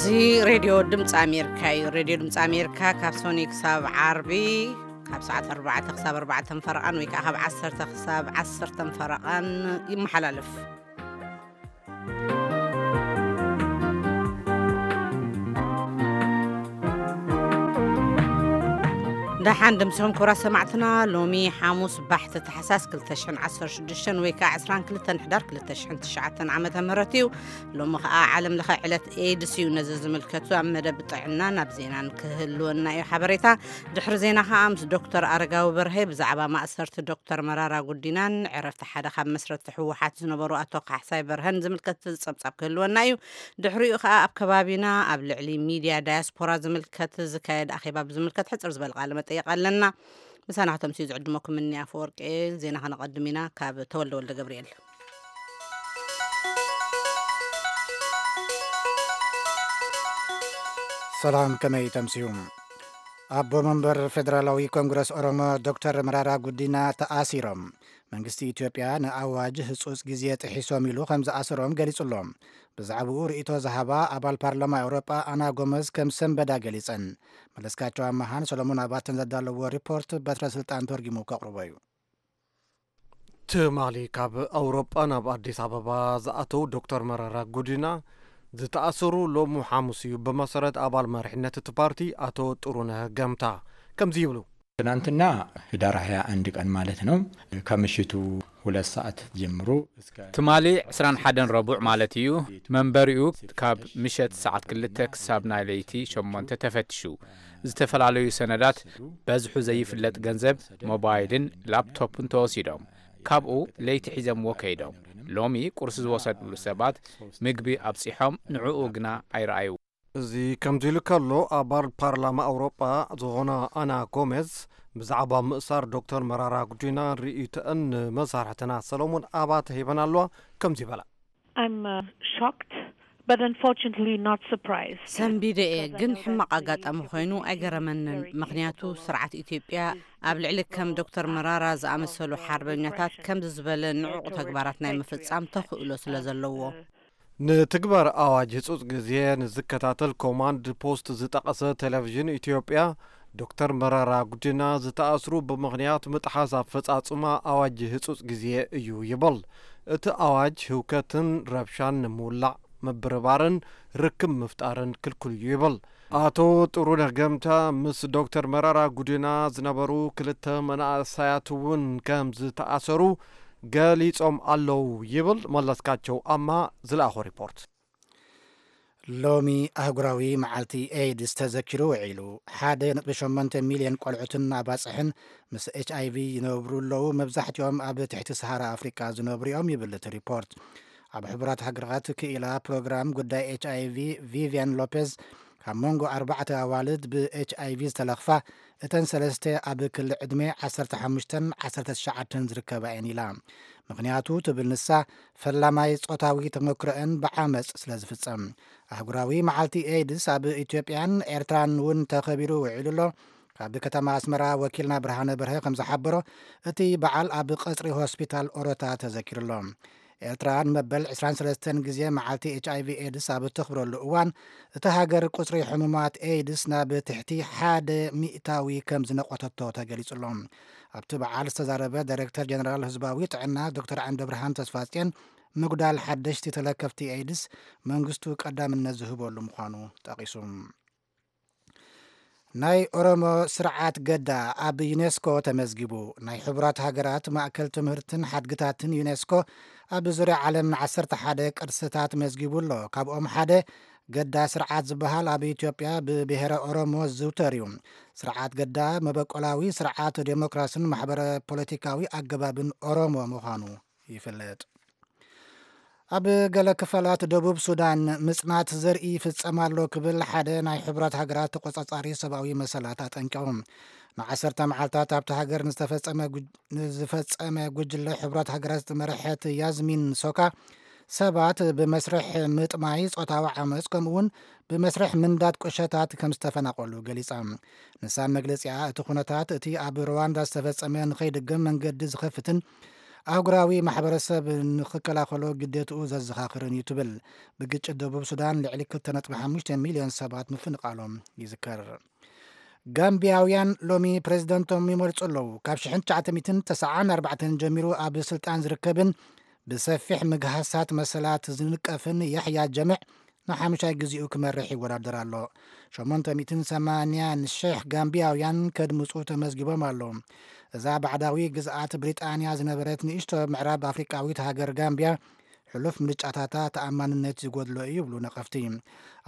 እዚ ሬድዮ ድምፂ ኣሜሪካ እዩ። ሬድዮ ድምፂ ኣሜሪካ ካብ ሶኒ ክሳብ ዓርቢ ካብ ሰዓት ኣርባዕተ ክሳብ ኣርባዕተ ፈረቓን ወይ ከዓ ካብ ዓሰርተ ክሳብ ዓሰርተ ፈረቓን ይመሓላለፍ። ደሓን ድምስኹም ክቡራት ሰማዕትና። ሎሚ ሓሙስ ባሕቲ ታሕሳስ ክልተ ሽሕን ዓሰርተ ሽዱሽተን ወይ ከዓ ዕስራን ክልተን ሕዳር ክልተ ሽሕን ትሽዓተን ዓመተ ምህረት እዩ። ሎሚ ከዓ ዓለም ለኸ ዕለት ኤድስ እዩ። ነዚ ዝምልከቱ ኣብ መደብ ጥዕናን ኣብ ዜናን ክህልወና እዩ ሓበሬታ። ድሕሪ ዜና ከዓ ምስ ዶክተር ኣረጋዊ በርሀ ብዛዕባ ማእሰርቲ ዶክተር መራራ ጉዲናን ዕረፍቲ ሓደ ካብ መስረቲ ህወሓት ዝነበሩ ኣቶ ካሕሳይ በርሀን ዝምልከት ጸብጻብ ክህልወና እዩ። ድሕሪኡ ከዓ ኣብ ከባቢና ኣብ ልዕሊ ሚድያ ዳያስፖራ ዝምልከት ዝካየድ ኣኼባ ብዝምልከት ሕጽር ዝበለ ቃለ መጠየቕ ኣለና። ምሳና ከተምስዩ ዝዕድመኩም እኒ ኣፈወርቂ። ዜና ከነቐድም ኢና ካብ ተወልደ ወልደ ገብርኤል። ሰላም፣ ከመይ ተምስዩ? ኣቦ መንበር ፌደራላዊ ኮንግረስ ኦሮሞ ዶክተር መራራ ጉዲና ተኣሲሮም። መንግስቲ ኢትዮጵያ ንኣዋጅ ህጹጽ ግዜ ጥሒሶም ኢሉ ከም ዝኣሰሮም ገሊጹ ኣሎ። ብዛዕባኡ ርእይቶ ዝሃባ ኣባል ፓርላማ ኤውሮጳ ኣና ጎመዝ ከም ሰንበዳ ገሊጸን። መለስካቸው ኣመሃን ሰሎሞን ኣባተን ዘዳለዎ ሪፖርት በትረ ስልጣን ተርጊሙ ከቕርቦ እዩ። ትማሊ ካብ ኣውሮጳ ናብ ኣዲስ ኣበባ ዝኣተው ዶክተር መረራ ጉዲና ዝተኣሰሩ ሎሚ ሓሙስ እዩ። ብመሰረት ኣባል መሪሕነት እቲ ፓርቲ ኣቶ ጥሩነህ ገምታ ከምዚ ይብሉ። ትናንትና ህዳር ሃያ አንድ ቀን ማለት ነው። ከምሽቱ ሁለት ሰዓት ጀምሮ እስከ ትማሊ ዕስራን ሓደን ረቡዕ ማለት እዩ። መንበሪኡ ካብ ምሸት ሰዓት ክልተ ክሳብ ናይ ለይቲ ሸሞንተ ተፈትሹ። ዝተፈላለዩ ሰነዳት፣ በዝሑ ዘይፍለጥ ገንዘብ፣ ሞባይልን ላፕቶፕን ተወሲዶም። ካብኡ ለይቲ ሒዘምዎ ከይዶም። ሎሚ ቁርሲ ዝወሰድሉ ሰባት ምግቢ ኣብጺሖም፣ ንዕኡ ግና ኣይረኣዩ። እዚ ከምዚ ኢሉ ከሎ፣ ኣባል ፓርላማ ኣውሮጳ ዝኾና ኣና ጎሜዝ ብዛዕባ ምእሳር ዶክተር መራራ ጉዲና ርእይቶአን ንመሳርሕትና ሰሎሞን ኣባተ ሂበን ኣለዋ። ከምዚ ይበላ። I'm uh, shocked, but unfortunately not surprised. ሰንቢደ እየ፣ ግን ሕማቕ ኣጋጣሚ ኮይኑ ኣይገረመንን። ምኽንያቱ ስርዓት ኢትዮጵያ ኣብ ልዕሊ ከም ዶክተር መራራ ዝኣመሰሉ ሓርበኛታት ከምዚ ዝበለ ንዑቕ ተግባራት ናይ ምፍጻም ተኽእሎ ስለ ዘለዎ። ንትግባር ኣዋጅ ህጹጽ ግዜ ንዝከታተል ኮማንድ ፖስት ዝጠቐሰ ቴሌቪዥን ኢትዮጵያ፣ ዶክተር መረራ ጉዲና ዝተኣስሩ ብምኽንያት ምጥሓስ ኣፈጻጽማ ኣዋጅ ህጹጽ ግዜ እዩ ይብል። እቲ ኣዋጅ ህውከትን ረብሻን ንምውላዕ፣ ምብርባርን ርክብ ምፍጣርን ክልኩል እዩ ይብል። ኣቶ ጥሩነህ ገምታ ምስ ዶክተር መረራ ጉዲና ዝነበሩ ክልተ መናእሰያት እውን ከም ዝተኣሰሩ ገሊጾም ኣለዉ ይብል መለስካቸው ኣማ ዝለኣኾ ሪፖርት። ሎሚ ኣህጉራዊ መዓልቲ ኤድስ ተዘኪሩ ውዒሉ። ሓደ ነጥቢ ሸሞንተ ሚልዮን ቆልዑትን ኣባጽሕን ምስ ኤች ኣይ ቪ ይነብሩ ኣለዉ። መብዛሕትኦም ኣብ ትሕቲ ሰሃራ ኣፍሪቃ ዝነብሩ እዮም ይብል እቲ ሪፖርት። ኣብ ሕቡራት ሃገራት ክኢላ ፕሮግራም ጉዳይ ኤች ኣይ ቪ ቪቪያን ሎፔዝ፣ ካብ መንጎ ኣርባዕተ ኣዋልድ ብ ኤች ኣይ ቪ ዝተለኽፋ፣ እተን ሰለስተ ኣብ ክሊ ዕድመ ዓሰርተ ሓሙሽተን ዓሰርተ ትሽዓተን ዝርከባ እየን ኢላ። ምኽንያቱ ትብል ንሳ፣ ፈላማይ ጾታዊ ተመክሮአን ብዓመጽ ስለ ዝፍጸም። ኣህጉራዊ መዓልቲ ኤድስ ኣብ ኢትዮጵያን ኤርትራን እውን ተኸቢሩ ውዒሉ ኣሎ። ካብ ከተማ ኣስመራ ወኪልና ብርሃነ በርሀ ከም ዝሓበሮ፣ እቲ በዓል ኣብ ቀጽሪ ሆስፒታል ኦሮታ ተዘኪሩ ኣሎ። ኤርትራ ንመበል ዕስራን ሰለስተን ግዜ መዓልቲ ኤች ኣይ ቪ ኤድስ ኣብ እተኽብረሉ እዋን፣ እታ ሃገር ቁጽሪ ሕሙማት ኤድስ ናብ ትሕቲ ሓደ ሚእታዊ ከም ዝነቆተቶ ተገሊጹ ኣሎ። ኣብቲ በዓል ዝተዛረበ ዳይሬክተር ጀነራል ህዝባዊ ጥዕና ዶክተር ዓንደብርሃን ተስፋጽዮን፣ ምጉዳል ሓደሽቲ ተለከፍቲ ኤድስ መንግስቱ ቀዳምነት ዝህበሉ ምዃኑ ጠቒሱ። ናይ ኦሮሞ ስርዓት ገዳ ኣብ ዩኔስኮ ተመዝጊቡ። ናይ ሕቡራት ሃገራት ማእከል ትምህርትን ሓድግታትን ዩኔስኮ ኣብ ዙርያ ዓለም ንዓሰርተ ሓደ ቅርስታት መዝጊቡ ኣሎ። ካብኦም ሓደ ገዳ ስርዓት ዝበሃል ኣብ ኢትዮጵያ ብብሔረ ኦሮሞ ዝዝውተር እዩ። ስርዓት ገዳ መበቆላዊ ስርዓት ዴሞክራስን ማሕበረ ፖለቲካዊ ኣገባብን ኦሮሞ ምዃኑ ይፍለጥ። ኣብ ገለ ክፋላት ደቡብ ሱዳን ምጽናት ዘርኢ ይፍጸም ኣሎ ክብል ሓደ ናይ ሕቡራት ሃገራት ተቆጻጻሪ ሰብኣዊ መሰላት ኣጠንቂቑ። ንዓሰርተ መዓልታት ኣብቲ ሃገር ንዝተፈጸመ ጉጅ-፣ ንዝፈጸመ ጉጅለ ሕቡራት ሃገራት ዝመርሐት ያዝሚን ሶካ፣ ሰባት ብመስርሕ ምጥማይ፣ ጾታዊ ዓመጽ፣ ከምኡውን ብመስርሕ ምንዳድ ቁሸታት ከም ዝተፈናቐሉ ገሊጻ። ንሳ መግለጺኣ፣ እቲ ኩነታት እቲ ኣብ ሩዋንዳ ዝተፈጸመ ንኸይድገም መንገዲ ዝኸፍትን ኣህጉራዊ ማሕበረሰብ ንኽከላኸሎ ግዴትኡ ዘዘኻኽርን እዩ ትብል። ብግጭት ደቡብ ሱዳን ልዕሊ ክልተ ነጥቢ ሓሙሽተ ሚልዮን ሰባት ምፍንቓሎም ይዝከር። ጋምቢያውያን ሎሚ ፕሬዝደንቶም ይመርጹ ኣለዉ። ካብ ሽሕን ትሽዓተ ሚእትን ተስዓን ኣርባዕተን ጀሚሩ ኣብ ስልጣን ዝርከብን ብሰፊሕ ምግሃሳት መሰላት ዝንቀፍን ያሕያ ጀምዕ ንሓሙሻይ ግዜኡ ክመርሕ ይወዳደር ኣሎ። ሸሞንተ ሚእትን ሰማንያን ሽሕ ጋምቢያውያን ከድምጹ ተመዝጊቦም ኣለዉ። እዛ ባዕዳዊ ግዝኣት ብሪጣንያ ዝነበረት ንእሽቶ ምዕራብ ኣፍሪቃዊት ሃገር ጋምቢያ ሕሉፍ ምርጫታታ ተኣማንነት ዝጎድሎ እዩ ይብሉ ነቐፍቲ።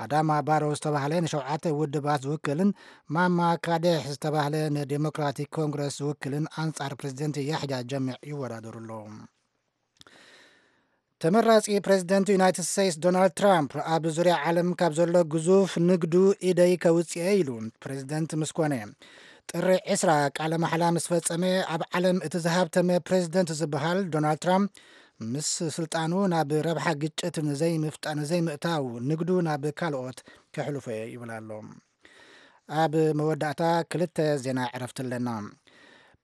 ኣዳማ ባሮ ዝተባህለ ንሸውዓተ ውድባት ዝውክልን ማማ ካዴሕ ዝተባህለ ንዴሞክራቲክ ኮንግረስ ዝውክልን ኣንጻር ፕሬዝደንት ያሕያ ጀምዕ ይወዳደሩ ኣለዉ። ተመራጺ ፕሬዝደንት ዩናይትድ ስቴትስ ዶናልድ ትራምፕ ኣብ ዙርያ ዓለም ካብ ዘሎ ግዙፍ ንግዱ ኢደይ ከውጽኤ ኢሉ ፕሬዝደንት ምስ ኮነ። ጥሪ ዕስራ ቃለ ማሕላ ምስ ፈጸመ ኣብ ዓለም እቲ ዝሃብተመ ፕሬዝደንት ዝበሃል ዶናልድ ትራምፕ ምስ ስልጣኑ ናብ ረብሓ ግጭት ንዘይምፍጣ-፣ ንዘይምእታው ንግዱ ናብ ካልኦት ከሕልፎ እየ ይብል ኣሎ። ኣብ መወዳእታ ክልተ ዜና ዕረፍቲ ኣለና።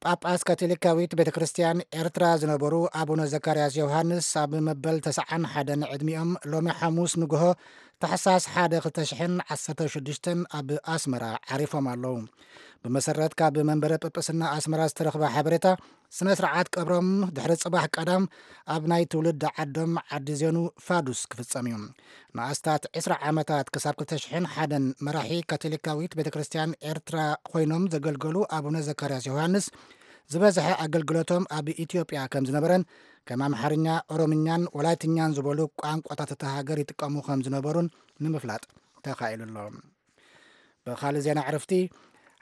ጳጳስ ካቶሊካዊት ቤተ ክርስቲያን ኤርትራ ዝነበሩ ኣቡነ ዘካርያስ ዮሃንስ ኣብ መበል ተስዓን ሓደን ዕድሚኦም ሎሚ ሓሙስ ንግሆ ታሕሳስ ሓደ ክልተ ሽሕን ዓሰርተ ሽዱሽተን ኣብ ኣስመራ ዓሪፎም ኣለዉ። ብመሰረት ካብ መንበረ ጵጵስና ኣስመራ ዝተረኽበ ሓበሬታ፣ ስነ ስርዓት ቀብሮም ድሕሪ ጽባሕ ቀዳም ኣብ ናይ ትውልዲ ዓዶም ዓዲ ዜኑ ፋዱስ ክፍጸም እዩ። ንኣስታት ዕስራ ዓመታት ክሳብ ክልተ ሽሕን ሓደን መራሒ ካቶሊካዊት ቤተ ክርስቲያን ኤርትራ ኮይኖም ዘገልገሉ ኣቡነ ዘካርያስ ዮሃንስ ዝበዝሐ ኣገልግሎቶም ኣብ ኢትዮጵያ ከም ዝነበረን ከም ኣምሓርኛ፣ ኦሮምኛን ወላይትኛን ዝበሉ ቋንቋታት እታ ሃገር ይጥቀሙ ከም ዝነበሩን ንምፍላጥ ተኻኢሉ ኣሎ። ብኻልእ ዜና ዕረፍቲ፣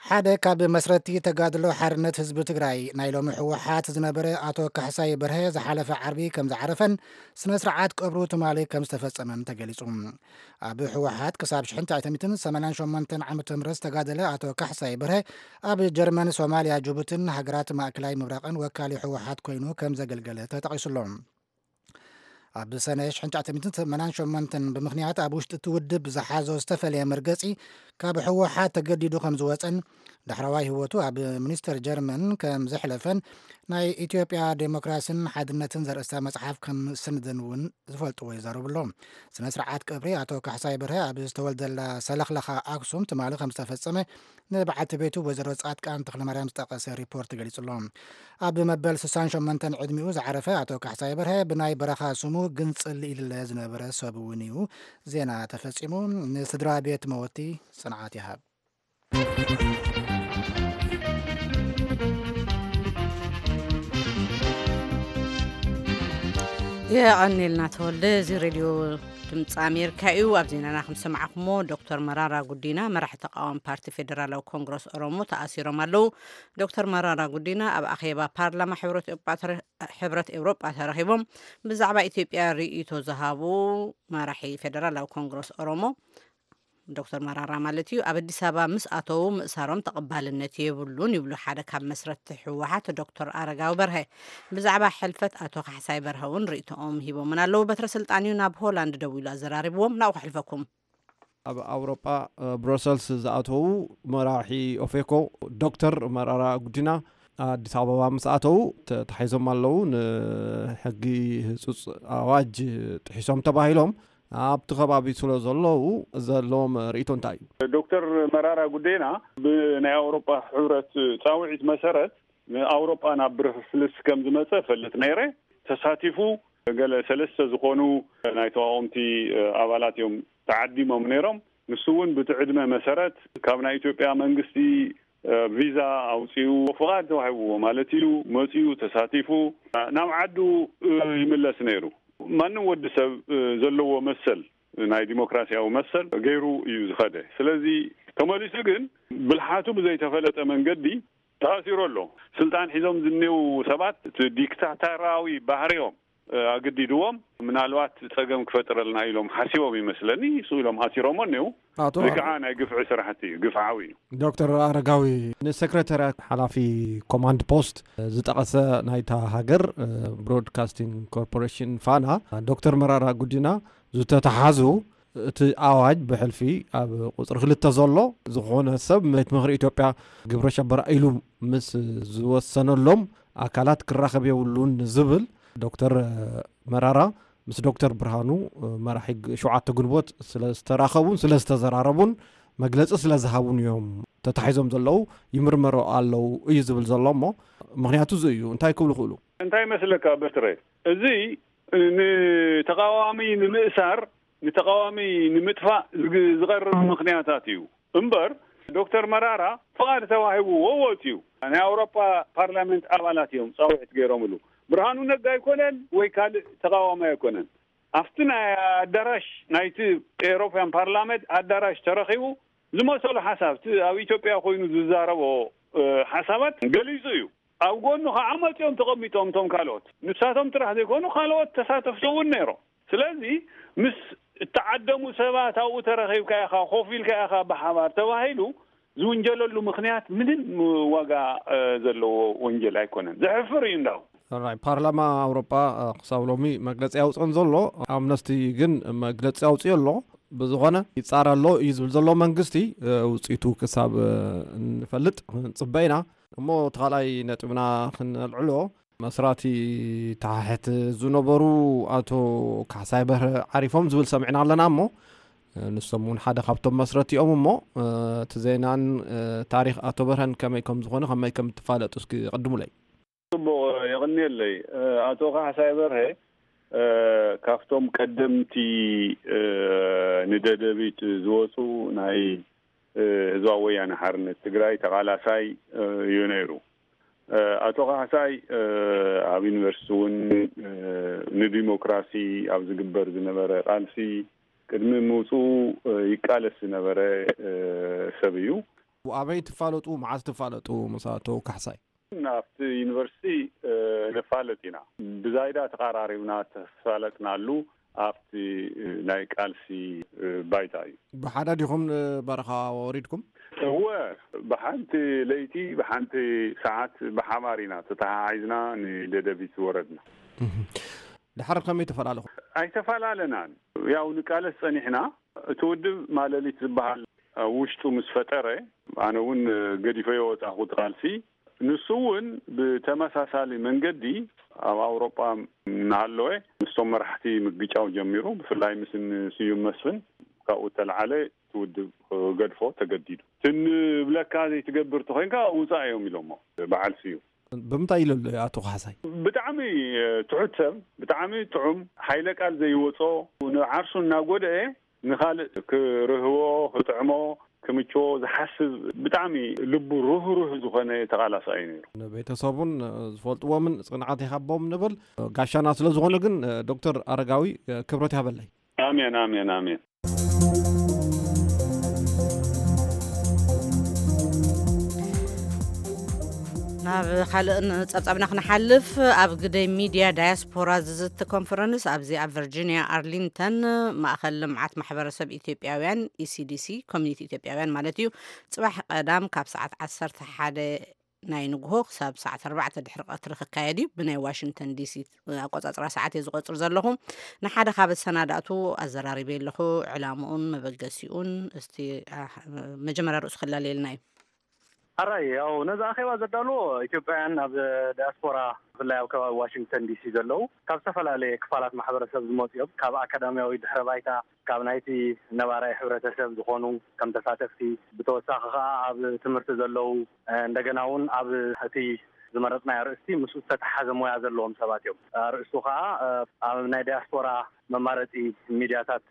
ሓደ ካብ መስረቲ ተጋድሎ ሓርነት ህዝቢ ትግራይ ናይ ሎሚ ህወሓት ዝነበረ ኣቶ ካሕሳይ በርሀ ዝሓለፈ ዓርቢ ከም ዝዓረፈን ስነ ስርዓት ቀብሩ ትማሊ ከም ዝተፈጸመን ተገሊጹ። ኣብ ህወሓት ክሳብ ሽሕን ትሽዓተ ሚእትን ሰማንያን ሸሞንተን ዓመተ ምህረት ዝተጋደለ ኣቶ ካሕሳይ በርሀ ኣብ ጀርመን፣ ሶማልያ፣ ጅቡትን ሃገራት ማእከላይ ምብራቕን ወካሊ ህወሓት ኮይኑ ከም ዘገልገለ ተጠቒሱ ኣሎ። ኣብ ሰነ ሽሕን ትሽዓተ ሚእትን ሰማንያን ሸሞንተን ብምኽንያት ኣብ ውሽጢ እቲ ውድብ ዝሓዞ ዝተፈለየ መርገጺ ካብ ህወሓት ተገዲዱ ከም ዝወጸን ዳሕረዋይ ህይወቱ ኣብ ሚኒስተር ጀርመን ከም ዘሕለፈን ናይ ኢትዮጵያ ዴሞክራሲን ሓድነትን ዘርእስታ መጽሓፍ ከም ዝሰነደን እውን ዝፈልጥዎ ይዛረቡ ኣለዉ። ስነ ስርዓት ቀብሪ ኣቶ ካሕሳይ በርሀ ኣብ ዝተወልደላ ሰለኽለኻ ኣክሱም ትማሊ ከም ዝተፈጸመ ንበዓልቲ ቤቱ ወይዘሮ ጻድቃን ተኽለማርያም ዝጠቐሰ ሪፖርት ገሊጹ ኣሎ። ኣብ መበል ስሳን ሸሞንተን ዕድሚኡ ዝዓረፈ ኣቶ ካሕሳይ በርሀ ብናይ በረኻ ስሙ ግንጽል ኢልለ ዝነበረ ሰብ እውን እዩ። ዜና ተፈጺሙ። ንስድራ ቤት መወቲ ጽንዓት ይሃብ። የቐኔልና ተወልደ። እዚ ሬድዮ ድምፂ ኣሜሪካ እዩ። ኣብ ዜናና ከም ሰማዕኹሞ፣ ዶክተር መራራ ጉዲና መራሒ ተቃዋሚ ፓርቲ ፌደራላዊ ኮንግረስ ኦሮሞ ተኣሲሮም ኣለዉ። ዶክተር መራራ ጉዲና ኣብ ኣኼባ ፓርላማ ሕብረት ኤውሮጳ ተረ-፣ ሕብረት ኤውሮጳ ተረኺቦም ብዛዕባ ኢትዮጵያ ርእይቶ ዝሃቡ መራሒ ፌደራላዊ ኮንግረስ ኦሮሞ ዶክተር መራራ ማለት እዩ፣ ኣብ ኣዲስ ኣበባ ምስ ኣተዉ ምእሳሮም ተቐባልነት የብሉን ይብሉ ሓደ ካብ መስረትቲ ህወሓት ዶክተር ኣረጋዊ በርሀ። ብዛዕባ ሕልፈት ኣቶ ካሕሳይ በርሀ እውን ርእይቶኦም ሂቦምን ኣለዉ። በትረ ስልጣን እዩ ናብ ሆላንድ ደዊሉ ኣዘራሪብዎም፣ ናብኡ ከሕልፈኩም። ኣብ ኣውሮጳ፣ እ፣ ብሮሰልስ ዝኣተዉ መራሒ ኦፌኮ ዶክተር መራራ ጉዲና ኣዲስ ኣበባ ምስ ኣተዉ ተታሒዞም ኣለዉ። ንሕጊ ህጹጽ ኣዋጅ ጥሒሶም ተባሂሎም ኣብቲ ከባቢ ስለ ዘለዉ ዘለዎም ርእይቶ እንታይ እዩ? ዶክተር መራራ ጉዴና ብናይ ኣውሮጳ ሕብረት ጻውዒት መሰረት ንኣውሮጳ ናብ ብርፍልስ ከም ዝመጸ እፈልጥ ነይረ። ተሳቲፉ ገለ ሰለስተ ዝኾኑ ናይ ተቃወምቲ ኣባላት እዮም ተዓዲሞም ነይሮም። ንሱ እውን ብቲ ዕድመ መሰረት ካብ ናይ ኢትዮጵያ መንግስቲ እ፣ ቪዛ ኣውፂኡ ፍቓድ ተዋሂብዎ ማለት እዩ። መፂኡ ተሳቲፉ ናብ ዓዱ እ፣ ይምለስ ነይሩ። ማንም ወዲ ሰብ እ፣ ዘለዎ መሰል ናይ ዲሞክራሲያዊ መሰል ገይሩ እዩ ዝኸደ። ስለዚ ተመሊሱ ግን ብልሓቱ ብዘይተፈለጠ መንገዲ ተኣሲሩ ኣሎ። ስልጣን ሒዞም ዝኔው ሰባት እቲ ዲክታተራዊ ባህሪኦም እ፣ ኣገዲድዎም ምናልባት ፀገም ክፈጥረልና ኢሎም ሓሲቦም ይመስለኒ። እሱ ኢሎም ኣሲሮሞ እኔው። ኣቶ እዚ ኣረ- ከዓ ናይ ግፍዒ ስራሕቲ እዩ፣ ግፍዓዊ እዩ። ዶክተር ኣረጋዊ፣ ንሰክረታርያት ሓላፊ ኮማንድ ፖስት ዝጠቐሰ ናይታ ሃገር፣ እ፣ ብሮድካስቲንግ ኮርፖሬሽን ፋና፣ ዶክተር መራራ ጉዲና ዝተተሓዙ እቲ ኣዋጅ ብሕልፊ ኣብ ቁጽሪ ክልተ ዘሎ ዝኾነ ሰብ ቤት ምኽሪ ኢትዮጵያ ግብረ ሸበራ ኢሉ ምስ ዝወሰነሎም ኣካላት ክራኸብ የብሉን ዝብል ዶክተር መራራ ምስ ዶክተር ብርሃኑ መራሒ ግ- ሸውዓተ ግንቦት ስለ ዝተራኸቡን ስለ ዝተዘራረቡን መግለጺ ስለ ዝሃቡን እዮም ተታሒዞም ዘለዉ፣ ይምርመሩ ኣለዉ እዩ ዝብል ዘሎ። እሞ ምኽንያቱ እዚ እዩ። እንታይ ክብሉ ክእሉ? እንታይ ይመስለካ በትረ? እዚ ንተቃዋሚ ንምእሳር፣ ንተቃዋሚ ንምጥፋእ ዝግ- ዝቐርብ ምኽንያታት እዩ እምበር፣ ዶክተር መራራ ፍቓድ ተዋሂብዎ ወፂኡ። ናይ ኣውሮፓ ፓርላመንት ኣባላት እዮም ፃውዒት ገይሮምሉ። ብርሃኑ ነጋ ኣይኮነን ወይ ካልእ ተቃዋሚ ኣይኮነን። ኣብቲ ናይ ኣዳራሽ ናይቲ ኤሮፓያን ፓርላመንት ኣዳራሽ ተረኺቡ ዝመሰሉ ሓሳብ፣ እቲ ኣብ ኢትዮጵያ ኮይኑ ዝዛረቦ ሓሳባት ገሊፁ እዩ። ኣብ ጎኑ ከዓ መፂኦም ተቐሚጦም እቶም ካልኦት፣ ንሳቶም ጥራሕ ዘይኮኑ ካልኦት ተሳተፍቲ እውን ነይሮም። ስለዚ ምስ እተዓደሙ ሰባት ኣብኡ ተረኺብካ ኢኻ፣ ኮፍ ኢልካ ኢኻ ብሓባር ተባሂሉ ዝውንጀለሉ ምኽንያት ምንም ዋጋ ዘለዎ ወንጀል ኣይኮነን። ዘሕፍር እዩ እንዳው። ራይ ፓርላማ ኣውሮጳ ክሳብ ሎሚ መግለፂ ኣውፅኦን ዘሎ፣ ኣምነስቲ ግን መግለፂ ኣውፅኦ ኣሎ። ብዝኾነ ይፃረ ኣሎ እዩ ዝብል ዘሎ መንግስቲ። ውፅኢቱ ክሳብ ንፈልጥ ክንፅበ ኢና። እሞ እቲ ካልኣይ ነጥብና ክንልዕሎ፣ መስራቲ ተሓሕት ዝነበሩ ኣቶ ካሕሳይ በርሀ ዓሪፎም ዝብል ሰሚዕና ኣለና። እሞ ንሶም እውን ሓደ ካብቶም መስረቲኦም። እሞ እቲ ዜናን ታሪክ ኣቶ በርሀን ከመይ ከም ዝኾነ ከመይ ከም ትፋለጡ እስኪ ቀድሙለይ። ጽቡቕ፣ የቐንየለይ። ኣቶ ካሕሳይ በርሀ ካብቶም ቀደምቲ ንደደቢት ዝወፁ ናይ ህዝባዊ ወያነ ሓርነት ትግራይ ተቓላሳይ እዩ ነይሩ። ኣቶ ካሕሳይ ኣብ ዩኒቨርሲቲ እውን ንዲሞክራሲ ኣብ ዝግበር ዝነበረ ቃልሲ ቅድሚ ምውፅኡ ይቃለስ ዝነበረ ሰብ እዩ። ኣበይ ትፋለጡ? መዓዝ ትፋለጡ ምስ ኣቶ ካሕሳይ? ኣብቲ ዩኒቨርሲቲ ንፋለጥ ኢና። ብዛይዳ ተቐራሪብና ተፋለጥናሉ ኣብቲ ናይ ቃልሲ ባይታ እዩ። ብሓደ ዲኹም ንበረኻ ወሪድኩም? እወ፣ ብሓንቲ ለይቲ ብሓንቲ ሰዓት ብሓባር ኢና ተተሓሒዝና ንደደቢት ዝወረድና። ድሓር ከመይ ተፈላለኹም? ኣይተፈላለናን። ያው ንቃለስ ጸኒሕና። እቲ ውድብ ማለሊት ዝበሃል ኣብ ውሽጡ ምስ ፈጠረ፣ ኣነ እውን ገዲፈዮ ወጻኹ እቲ ቃልሲ። ንሱ እውን ብተመሳሳሊ መንገዲ ኣብ ኣውሮጳ እናሃለወ ምስቶም መራሕቲ ምግጫው ጀሚሩ። ብፍላይ ምስ እኒ ስዩም መስፍን ካብኡ እተለዓለ እቲ ውድብ ክገድፎ ተገዲዱ። እቲ ንብለካ ዘይትገብር እንተኾይንካ ውጻእ እዮም ኢሎሞ በዓል ስዩም። ብምንታይ ኢሉ ኣሎ ኣቶ ካሕሳይ? ብጣዕሚ ትሑት ሰብ፣ ብጣዕሚ ጥዑም፣ ሓይለ ቃል ዘይወጾ፣ ንዓርሱ እናጎደኤ ንኻልእ ክርህዎ፣ ክጥዕሞ፣ ክምችዎ ዝሓስብ ብጣዕሚ ልቡ ርህሩህ ዝኾነ ተቓላሳይ እዩ ነይሩ። ንቤተሰቡን ዝፈልጥዎምን ጽንዓት ይሃቦም ንብል። ጋሻና ስለ ዝኾኑ ግን ዶክተር ኣረጋዊ ክብረት ይሃበለይ። ኣሜን፣ ኣሜን፣ ኣሜን። ናብ ካልእ ጸብጻብና ክንሓልፍ፣ ኣብ ግደይ ሚድያ ዳያስፖራ ዝዝቲ ኮንፈረንስ ኣብዚ ኣብ ቨርጂኒያ ኣርሊንተን ማእኸል ልምዓት ማሕበረሰብ ኢትዮጵያውያን፣ ኢሲዲሲ፣ ኮሚኒቲ ኢትዮጵያውያን ማለት እዩ፣ ጽባሕ ቀዳም ካብ ሰዓት ዓሰርተ ሓደ ናይ ንግሆ ክሳብ ሰዓት ኣርባዕተ ድሕሪ ቀትሪ ክካየድ እዩ። ብናይ ዋሽንግተን ዲሲ ኣቆጻጽራ ሰዓት እየ ዝቆጽር ዘለኹ። ንሓደ ካብ ኣሰናዳእቱ ኣዘራሪበ ኣለኹ። ዕላምኡን መበገሲኡን እስቲ መጀመርያ ርእሱ ክላለየልና እዩ። ኣራይ፣ ያው ነዚ ኣኼባ ዘዳልዎ ኢትዮጵያውያን ኣብ ዳያስፖራ፣ ብፍላይ ኣብ ከባቢ ዋሽንግተን ዲሲ ዘለዉ፣ ካብ ዝተፈላለየ ክፋላት ማሕበረሰብ ዝመፁ እዮም። ካብ ኣካዳሚያዊ ድሕረ ባይታ፣ ካብ ናይቲ ነባራይ ሕብረተሰብ ዝኾኑ ከም ተሳተፍቲ፣ ብተወሳኺ ከዓ ኣብ ትምህርቲ ዘለዉ፣ እንደገና እውን ኣብ እቲ ዝመረፅናዮ ኣርእስቲ ምስኡ ዝተተሓዘ ሞያ ዘለዎም ሰባት እዮም። ኣርእስቱ ከዓ ኣብ ናይ ዳያስፖራ መማረፂ ሚድያታት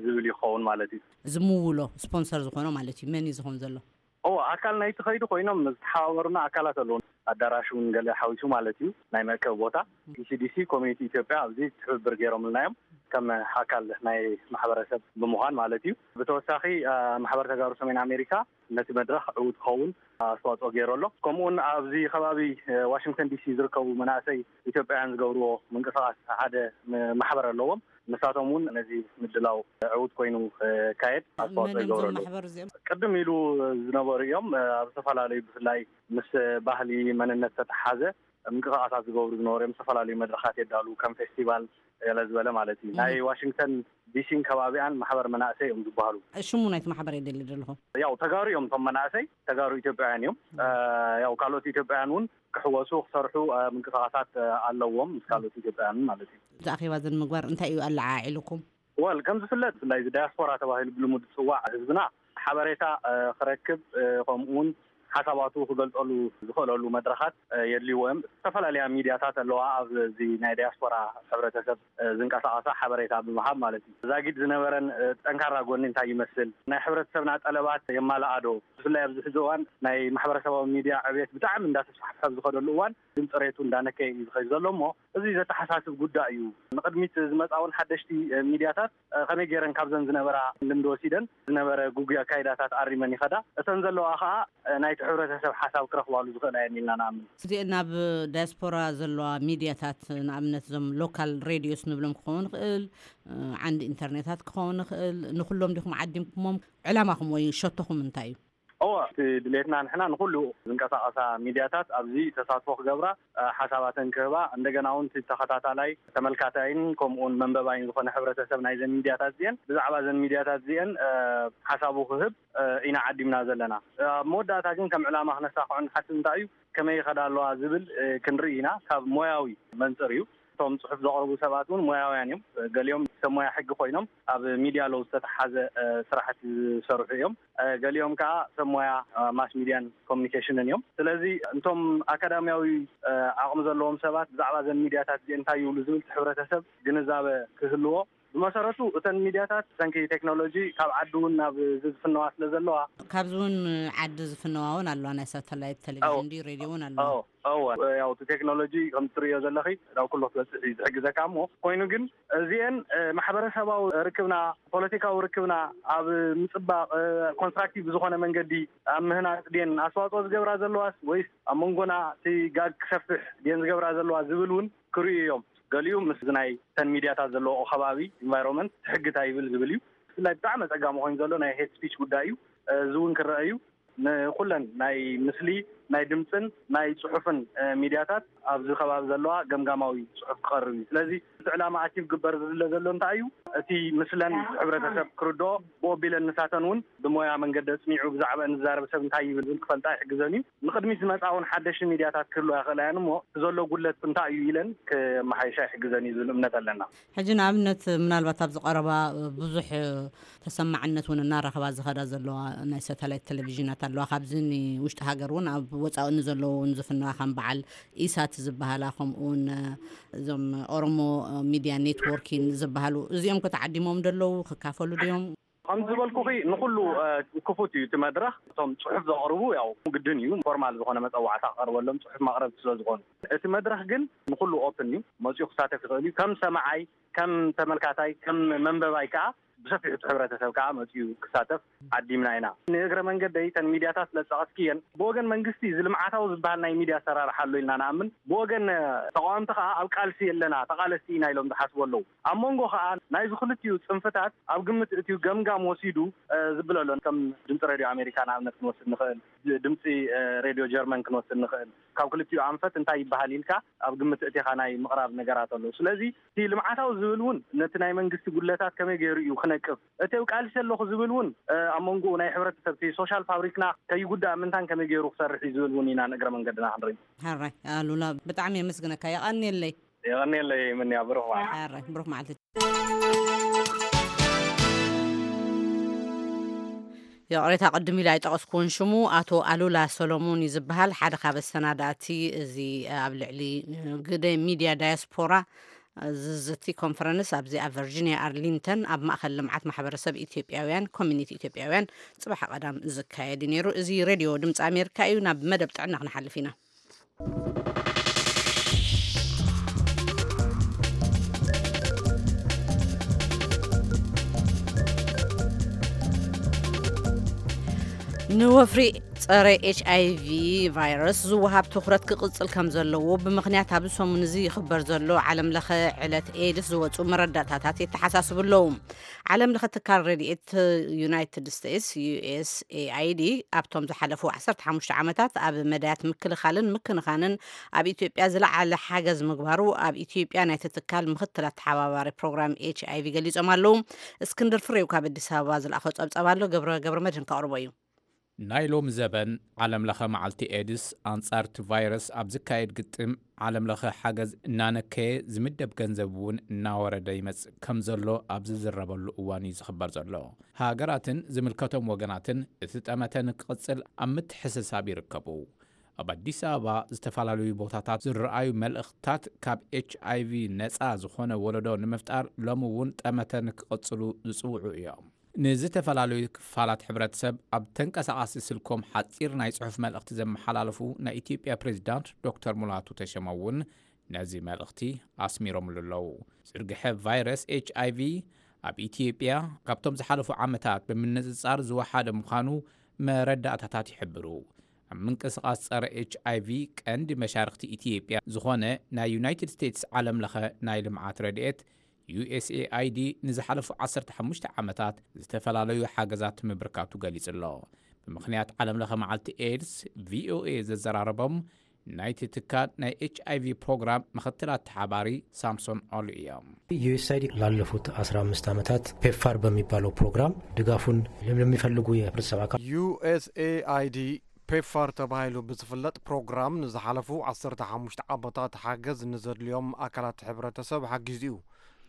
ዝብል ይኸውን ማለት እዩ። እዚ ምውሎ ስፖንሰር ዝኾኖ ማለት እዩ። መን እዩ ዝኾን ዘሎ? እዎ፣ ኣካል ናይቲ ከይዲ ኮይኖም ዝተሓባበሩና ኣካላት ኣለዉ። ኣዳራሽ እውን ገለ ሓዊሱ ማለት እዩ፣ ናይ መእከቢ ቦታ። ኢሲዲሲ ኮሚኒቲ ኢትዮጵያ ኣብዚ ትብብር ገይሮምልና እዮም፣ ከም ኣካል ናይ ማሕበረሰብ ብምዃን ማለት እዩ። ብተወሳኺ ማሕበር ተጋሩ ሰሜን ኣሜሪካ ነቲ መድረኽ ዕዉት ክኸውን ኣስተዋፅኦ ገይሩ ኣሎ። ከምኡውን ኣብዚ ከባቢ ዋሽንግተን ዲሲ ዝርከቡ መናእሰይ ኢትዮጵያውያን ዝገብርዎ ምንቅስቃስ ሓደ ማሕበር ኣለዎም። ንሳቶም እውን ነዚ ምድላው ዕዉት ኮይኑ ክካየድ ኣስተዋፅኦ ይገብሩ ኣለዉ። ቅድም ኢሉ ዝነበሩ እዮም። ኣብ ዝተፈላለዩ ብፍላይ ምስ ባህሊ መንነት ዝተተሓዘ ምንቅስቃሳት ዝገብሩ ዝነበሩ እዮም። ዝተፈላለዩ መድረኻት የዳሉ፣ ከም ፌስቲቫል፣ ገለ ዝበለ ማለት እዩ። ናይ ዋሽንግተን ዲሲን ከባቢኣን ማሕበር መናእሰይ እዮም ዝበሃሉ። ሽሙ ናይቲ ማሕበር እየ ደሊ ዘለኹ። ያው ተጋሩ እዮም እቶም መናእሰይ፣ ተጋሩ ኢትዮጵያውያን እዮም። እ፣ ያው ካልኦት ኢትዮጵያውያን እውን ክሕወሱ፣ ክሰርሑ፣ እ፣ ምንቅስቃሳት፣ እ፣ ኣለዎም ምስ ካልኦት ኢትዮጵያውያን ማለት እዩ። እዚ ኣኼባ እዚ ንምግባር እንታይ እዩ ኣለዓዒሉኩም? ወል ከም ዝፍለጥ ብፍላይ እዚ ዳያስፖራ ተባሂሉ ብልሙድ ዝፅዋዕ ህዝብና ሓበሬታ፣ እ፣ ክረክብ፣ እ፣ ከምኡ እውን ሓሳባቱ ክገልፀሉ ዝኽእለሉ መድረኻት፣ እ፣ የድልይዎ እዮም። ዝተፈላለያ ሚድያታት ኣለዋ ኣብዚ ናይ ዳያስፖራ ሕብረተሰብ፣ እ፣ ዝንቀሳቐሳ ሓበሬታ ብምሃብ ማለት እዩ። ዛጊድ ዝነበረን፣ እ፣ ጠንካራ ጎኒ እንታይ ይመስል፣ ናይ ሕብረተሰብና ጠለባት የማልኣዶ፣ ብፍላይ ኣብዚ ሕዚ እዋን ናይ ማሕበረሰባዊ ሚድያ ዕብየት ብጣዕሚ እንዳተስፋሕፈሐ ኣብ ዝኸደሉ እዋን ድምፂ ሬቱ እንዳነከየ እዩ ዝኸይድ ዘሎ እሞ እዚ ዘተሓሳስብ ጉዳይ እዩ። ንቕድሚት ዝመፃ እውን ሓደሽቲ፣ እ፣ ሚድያታት፣ እ፣ ከመይ ገይረን ካብዘን ዝነበራ ልምዲ ወሲደን ዝነበረ ግጉይ ኣካይዳታት ኣሪመን ይኸዳ፣ እተን ዘለዋ ከዓ፣ እ፣ ናይቲ ሕብረተሰብ ሓሳብ ክረኽባሉ ዝኽእላ እየን ኢልና ንኣምን። እዚአን ናብ ዳያስፖራ ዘለዋ ሚድያታት ንኣብነት እዞም ሎካል ሬድዮስ ንብሎም ክኸውን ይኽእል፣ እ፣ ዓንዲ ኢንተርኔታት ክኸውን ይኽእል፣ ንኩሎም ዲኹም ዓዲምኩሞም? ዕላማኹም ወይ ሸቶኹም እንታይ እዩ? እወ፣ እቲ ድሌትና ንሕና ንኩሉ ዝንቀሳቐሳ ሚድያታት ኣብዚ ተሳትፎ ክገብራ፣ እ፣ ሓሳባተን ክህባ፣ እንደገና እውን እቲ ተኸታታላይ ተመልካታይን ከምኡውን መንበባይን ዝኾነ ሕብረተሰብ ናይዘን ሚድያታት እዚአን ብዛዕባ እዘን ሚድያታት እዚአን፣ እ፣ ሓሳቡ ክህብ፣ እ፣ ኢና ዓዲምና ዘለና። እ፣ ኣብ መወዳእታ ግን ከም ዕላማ ክነሳኽዖ ንሓስብ እንታይ እዩ፣ ከመይ ይኸዳ ኣለዋ ዝብል፣ እ፣ ክንርኢ ኢና። ካብ ሞያዊ መንፅር እዩ። እቶም ፅሑፍ ዘቕርቡ ሰባት እውን ሞያውያን እዮም። ገሊኦም ሰብ ሞያ ሕጊ ኮይኖም ኣብ ሚድያ ለው ዝተተሓዘ፣ እ፣ ስራሕቲ ዝሰርሑ እዮም። እ፣ ገሊኦም ከዓ ሰብ ሞያ፣ እ፣ ማስ ሚድያን ኮሚኒኬሽንን እዮም። ስለዚ እንቶም ኣካዳሚያዊ፣ እ፣ ዓቕሚ ዘለዎም ሰባት ብዛዕባ እዘን ሚድያታት እዚአን እንታይ ይብሉ ዝብል እቲ ሕብረተሰብ ግንዛበ ክህልዎ። ብመሰረቱ እተን ሚድያታት ብሰንኪ ቴክኖሎጂ ካብ ዓዲ እውን ናብ እዚ ዝፍነዋ ስለ ዘለዋ። ካብዚ እውን ዓዲ ዝፍነዋ እውን ኣለዋ። ናይ ሳተላይት ቴሌቪዥን ድዩ ሬድዮ እውን ኣለዋ። እወ፣ ያው እቲ ቴክኖሎጂ ከም ትርእዮ ዘለኺ ናብ ኩሉ ክትበፅሕ እዩ ዝሕግዘካ። እሞ ኮይኑ ግን እዚአን፣ እ፣ ማሕበረሰባዊ ርክብና፣ ፖለቲካዊ ርክብና ኣብ ምፅባቕ፣ እ፣ ኮንስትራክቲቭ ብዝኾነ መንገዲ ኣብ ምህናፅ ድየን ኣስተዋፅኦ ዝገብራ ዘለዋስ ወይስ ኣብ መንጎና እቲ ጋግ ክሰፍሕ ድየን ዝገብራ ዘለዋ ዝብል እውን ክርእዩ እዮም። ገሊኡ ምስ ናይ ተን ሚድያታት ዘለዎ ከባቢ ኢንቫይሮንመንት ሕጊ እንታይ ይብል ዝብል እዩ። ብፍላይ ብጣዕሚ ኣፀጋሚ ኮይኑ ዘሎ ናይ ሄት ስፒች ጉዳይ እዩ። እዚ እውን ክረአ እዩ። ንኩለን ናይ ምስሊ፣ ናይ ድምፅን ናይ ፅሑፍን፣ እ፣ ሚድያታት ኣብዚ ከባቢ ዘለዋ ገምጋማዊ ፅሑፍ ክቐርብ እዩ። ስለዚ እቲ ዕላማ ኣቺቭ ግበር ዝድለ ዘሎ እንታይ እዩ? እቲ ምስለን ሕብረተሰብ ክርድኦ፣ ብኦቢለን ንሳተን እውን ብሞያ መንገዲ ኣፅኒዑ ብዛዕባ እንዛረብ ሰብ እንታይ ይብል ዝብል ክፈልጣ ይሕግዘን እዩ። ንቕድሚት ዝመፃ እውን ሓደሽቲ ሚድያታት ክህልዋ ይኽእላ እየን እሞ እቲ ዘሎ ጉድለት እንታይ እዩ ኢለን ክመሓይሻ ይሕግዘን እዩ ዝብል እምነት ኣለና። ሕጂ ንኣብነት ምናልባት ኣብዚ ቀረባ ብዙሕ ተሰማዕነት እውን እናረኸባ ዝኸዳ ዘለዋ ናይ ሳተላይት ቴሌቪዥናት ኣለዋ። ካብዚ ንውሽጢ ሃገር እውን ኣብ ወፃኢ ንዘለዉ እውን ዝፍነዋ ከም በዓል ኢሳት ዝበሃላ ከምኡውን እዞም ኦሮሞ ሚድያ ኔትወርኪን ዝበሃሉ እዚኦም ከተዓዲሞም ደለዉ ክካፈሉ ድዮም? ከም ዝበልኩኺ ንኩሉ፣ እ፣ ክፉት እዩ እቲ መድረኽ። እቶም ጽሑፍ ዘቕርቡ ያው ግድን እዩ ፎርማል ዝኾነ መጸዋዕታ ክቐርበሎም ጽሑፍ ማቕረብቲ ስለ ዝኾኑ። እቲ መድረኽ ግን ንኩሉ ኦፕን እዩ። መጺኡ ክሳተፍ ይኽእል እዩ። ከም ሰማዓይ፣ ከም ተመልካታይ፣ ከም መንበባይ ከኣ ብሰፊሑ እቲ ሕብረተሰብ ከኣ መጺኡ ክሳተፍ ዓዲምና ኢና። ንእግረ መንገደይ እተን ሚድያታት ስለ ዝጠቐስክየን ብወገን መንግስቲ እዚ ልምዓታዊ ዝበሃል ናይ ሚድያ ኣሰራርሓ ኣሎ ኢልና ንኣምን። ብወገን ተቃወምቲ ከኣ ኣብ ቃልሲ ኣለና፣ ተቓለስቲ ኢና ኢሎም ዝሓስቡ ኣለዉ። ኣብ መንጎ ከኣ ናይዚ ክልቲኡ ጽንፍታት ኣብ ግምት እትዩ ገምጋም ወሲዱ፣ እ፣ ዝብለሎን ከም ድምፂ ሬድዮ ኣሜሪካ ንኣብነት ክንወስድ ንኽእል፣ ድ-፣ ድምፂ፣ እ፣ ሬድዮ ጀርመን ክንወስድ ንኽእል። ካብ ክልቲኡ ኣንፈት እንታይ ይበሃል ኢልካ ኣብ ግምት እቲኻ ናይ ምቕራብ ነገራት ኣለዉ። ስለዚ እቲ ልምዓታዊ ዝብል እውን ነቲ ናይ መንግስቲ ጉድለታት ከመይ ገይሩ እዩ ክነቅፍ፣ እቲ ኣብ ቃልሲ ኣለኹ ዝብል እውን፣ እ፣ ኣብ መንጎኡ ናይ ሕብረተሰብ እቲ ሶሻል ፋብሪክና ከይጉዳእ ምንታን ከመይ ገይሩ ክሰርሕ እዩ ዝብል እውን ኢና ንእግረ መንገድና ክንርኢ። ሕራይ ኣሉላ፣ ብጣዕሚ የመስግነካ፣ የቐንየለይ። የቐንየለይ ምንያ፣ ብሩኽ መዓልቲ። ሕራይ ብሩኽ መዓልቲ። ይቕሬታ፣ ቅድም ኢለ ኣይጠቐስኩዎን ሽሙ። ኣቶ ኣሉላ ሰሎሞን እዩ ዝበሃል፣ ሓደ ካብ ኣሰናዳእቲ እዚ ኣብ ልዕሊ ግደ ሚድያ ዳያስፖራ ዝዝቲ ኮንፈረንስ ኣብዚ ኣብ ቨርጂኒያ ኣርሊንተን ኣብ ማእከል ልምዓት ማሕበረሰብ ኢትዮጵያውያን ኮሚኒቲ ኢትዮጵያውያን ጽባሕ ቀዳም ዝካየድ እዩ ነይሩ። እዚ ሬድዮ ድምፂ ኣሜሪካ እዩ። ናብ መደብ ጥዕና ክንሓልፍ ኢና። ንወፍሪ ጸረ ኤች ኣይ ቪ ቫይረስ ዝወሃብ ትኹረት ክቕጽል ከም ዘለዎ ብምኽንያት ኣብዚ ሰሙን እዚ ይኽበር ዘሎ ዓለም ለኸ ዕለት ኤድስ ዝወጹ መረዳእታታት የተሓሳስቡ ኣለዉ። ዓለም ለኸ ትካል ረድኤት ዩናይትድ ስቴትስ፣ ዩ ኤስ ኤ ኣይ ዲ፣ ኣብቶም ዝሓለፉ ዓሰርተ ሓሙሽተ ዓመታት ኣብ መዳያት ምክልኻልን ምክንኻንን ኣብ ኢትዮጵያ ዝለዓለ ሓገዝ ምግባሩ ኣብ ኢትዮጵያ ናይቲ ትካል ምኽትል ኣተሓባባሪ ፕሮግራም ኤች ኣይ ቪ ገሊጾም ኣለዉ። እስክንድር ፍሬው ካብ ኣዲስ ኣበባ ዝለኣኾ ጸብጸብ ኣሎ። ገብረ፣ ገብረ መድህን ከቕርቦ እዩ። ናይ ሎም ዘበን ዓለም ለኸ መዓልቲ ኤድስ ኣንጻር እቲ ቫይረስ ኣብ ዝካየድ ግጥም ዓለም ለኸ ሓገዝ እናነከየ ዝምደብ ገንዘብ እውን እናወረደ ይመጽእ ከም ዘሎ ኣብ ዝዝረበሉ እዋን እዩ ዝኽበር ዘሎ። ሃገራትን ዝምልከቶም ወገናትን እቲ ጠመተ ንክቕጽል ኣብ ምትሕስሳብ ይርከቡ። ኣብ ኣዲስ ኣበባ ዝተፈላለዩ ቦታታት ዝረኣዩ መልእኽትታት ካብ ኤች ኣይ ቪ ነጻ ዝኾነ ወለዶ ንምፍጣር ሎም እውን ጠመተ ንክቕጽሉ ዝጽውዑ እዮም። ንዝተፈላለዩ ክፋላት ሕብረተሰብ ኣብ ተንቀሳቓሲ ስልኮም ሓጺር ናይ ጽሑፍ መልእኽቲ ዘመሓላለፉ ናይ ኢትዮጵያ ፕሬዚዳንት ዶክተር ሙላቱ ተሸመ እውን ነዚ መልእኽቲ ኣስሚሮምሉ ኣለዉ። ዝርግሐ ቫይረስ ኤች ኣይ ቪ ኣብ ኢትዮጵያ ካብቶም ዝሓለፉ ዓመታት ብምንጽጻር ዝወሓደ ምዃኑ መረዳእታታት ይሕብሩ። ኣብ ምንቅስቓስ ጸረ ኤች ኣይ ቪ ቀንዲ መሻርኽቲ ኢትዮጵያ ዝኾነ ናይ ዩናይትድ ስቴትስ ዓለም ለኸ ናይ ልምዓት ረድኤት ዩ ኤስ ኤ ኣይ ዲ ንዝሓለፉ ዓሰርተ ሓሙሽተ ዓመታት ዝተፈላለዩ ሓገዛት ምብርካቱ ገሊጹ ኣሎ። ብምኽንያት ዓለም ለኸ መዓልቲ ኤድስ፣ ቪ ኦ ኤ ዘዘራረቦም ናይቲ ትካል ናይ ኤች ኣይ ቪ ፕሮግራም ምኽትል ኣተሓባሪ ሳምሶን ኦሉ እዮም። ዩ ኤስ ኣይ ዲ ላለፉት አስራ አምስት ዓመታት ፔፋር በሚባለው ፕሮግራም ድጋፉን ለሚፈልጉ የህብረተሰብ አካል ዩ ኤስ ኤ አይ ዲ ፔፋር ተባሂሉ ብዝፍለጥ ፕሮግራም ንዝሓለፉ ዓሰርተ ሓሙሽተ ዓመታት ሓገዝ ንዘድልዮም ኣካላት ሕብረተሰብ ሓጊዙ እዩ።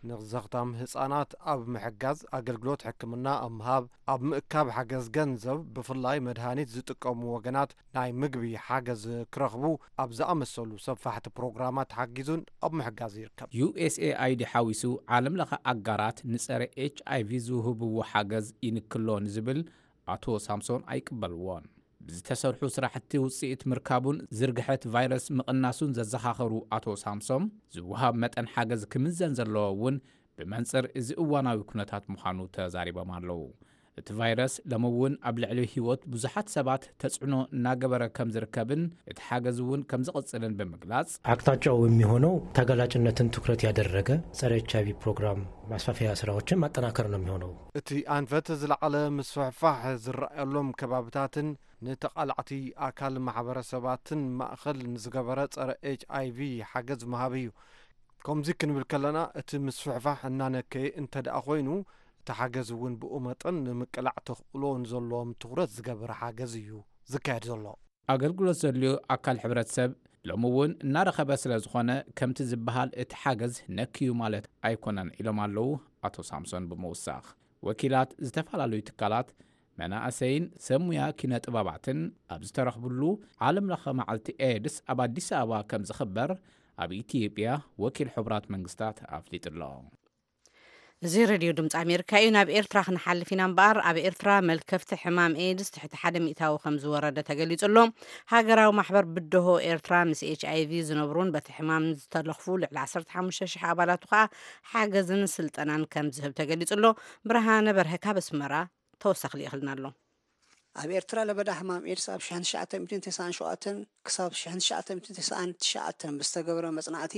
ንዘኽታም ህጻናት ኣብ ምሕጋዝ፣ ኣገልግሎት ሕክምና ኣብ ምሃብ፣ ኣብ ምእካብ ሓገዝ ገንዘብ፣ ብፍላይ መድሃኒት ዝጥቀሙ ወገናት ናይ ምግቢ ሓገዝ ክረኽቡ ኣብ ዝኣመሰሉ ሰፋሕቲ ፕሮግራማት ሓጊዙን ኣብ ምሕጋዝ ይርከብ። ዩ ኤስ ኤ ኣይ ዲ ሓዊሱ ዓለም ለኸ ኣጋራት ንጸረ ኤች ኣይ ቪ ዝውህብዎ ሓገዝ ይንክሎ ንዝብል ኣቶ ሳምሶን ኣይቅበልዎን። ብዝተሰርሑ ስራሕቲ ውጽኢት ምርካቡን ዝርግሐት ቫይረስ ምቕናሱን ዘዘኻኸሩ ኣቶ ሳምሶም፣ ዝወሃብ መጠን ሓገዝ ክምዘን ዘለዎ እውን ብመንጽር እዚ እዋናዊ ኩነታት ምዃኑ ተዛሪቦም ኣለዉ። እቲ ቫይረስ ሎሚ እውን ኣብ ልዕሊ ህይወት ብዙሓት ሰባት ተጽዕኖ እናገበረ ከም ዝርከብን እቲ ሓገዝ እውን ከም ዝቕጽልን ብምግላጽ፣ አቅጣጫው የሚሆነው ተጋላጭነትን ትኩረት ያደረገ ጸረ ኤች አይ ቪ ፕሮግራም ማስፋፊያ ስራዎችን ማጠናከር ነው የሚሆነው። እቲ ኣንፈት ዝለዓለ ምስፍሕፋሕ ዝረኣየሎም ከባብታትን ንተቓላዕቲ ኣካል ማሕበረሰባትን ማእኸል ንዝገበረ ጸረ ኤች ኣይ ቪ ሓገዝ ምሃብ እዩ። ከምዚ ክንብል ከለና፣ እቲ ምስፍሕፋሕ እናነከየ እንተ ደኣ ኮይኑ፣ እቲ ሓገዝ እውን ብኡ መጠን ንምቅላዕ ተኽእሎ ንዘለዎም ትኹረት ዝገበረ ሓገዝ እዩ ዝካየድ ዘሎ። ኣገልግሎት ዘድልዮ ኣካል ሕብረተሰብ ሎሚ እውን እናረኸበ ስለ ዝኾነ፣ ከምቲ ዝበሃል እቲ ሓገዝ ነክዩ ማለት ኣይኮነን ኢሎም ኣለዉ ኣቶ ሳምሶን ብምውሳኽ። ወኪላት ዝተፈላለዩ ትካላት፣ መናእሰይን ሰብ ሙያ ኪነ ጥበባትን ኣብ ዝተረኽብሉ ዓለም ለኸ መዓልቲ ኤድስ ኣብ ኣዲስ ኣበባ ከም ዝኽበር ኣብ ኢትዮጵያ ወኪል ሕቡራት መንግስታት ኣፍሊጡ ኣሎ። እዚ ሬድዮ ድምፂ ኣሜሪካ እዩ። ናብ ኤርትራ ክንሓልፍ ኢና እምበኣር፣ ኣብ ኤርትራ መልከፍቲ ሕማም ኤድስ ትሕቲ ሓደ ሚእታዊ ከም ዝወረደ ተገሊጹ ኣሎ። ሃገራዊ ማሕበር ብድሆ ኤርትራ ምስ ኤች ኣይ ቪ ዝነብሩን በቲ ሕማም ዝተለኽፉ ልዕሊ ዓሰርተ ሓሙሽተ ሽሕ ኣባላቱ ከኣ ሓገዝን ስልጠናን ከም ዝህብ ተገሊጹ ኣሎ። ብርሃነ በርሀ ካብ ኣስመራ ተወሳኺ ልኢኽልና ኣሎ። ኣብ ኤርትራ ለበዳ ሕማም ኤድስ ኣብ ሽሕን ትሽዓተ ሚእትን ተስዓን ሸውዓተን ክሳብ ሽሕን ትሽዓተ ሚእትን ተስዓን ትሽዓተን ብዝተገበረ መጽናዕቲ፣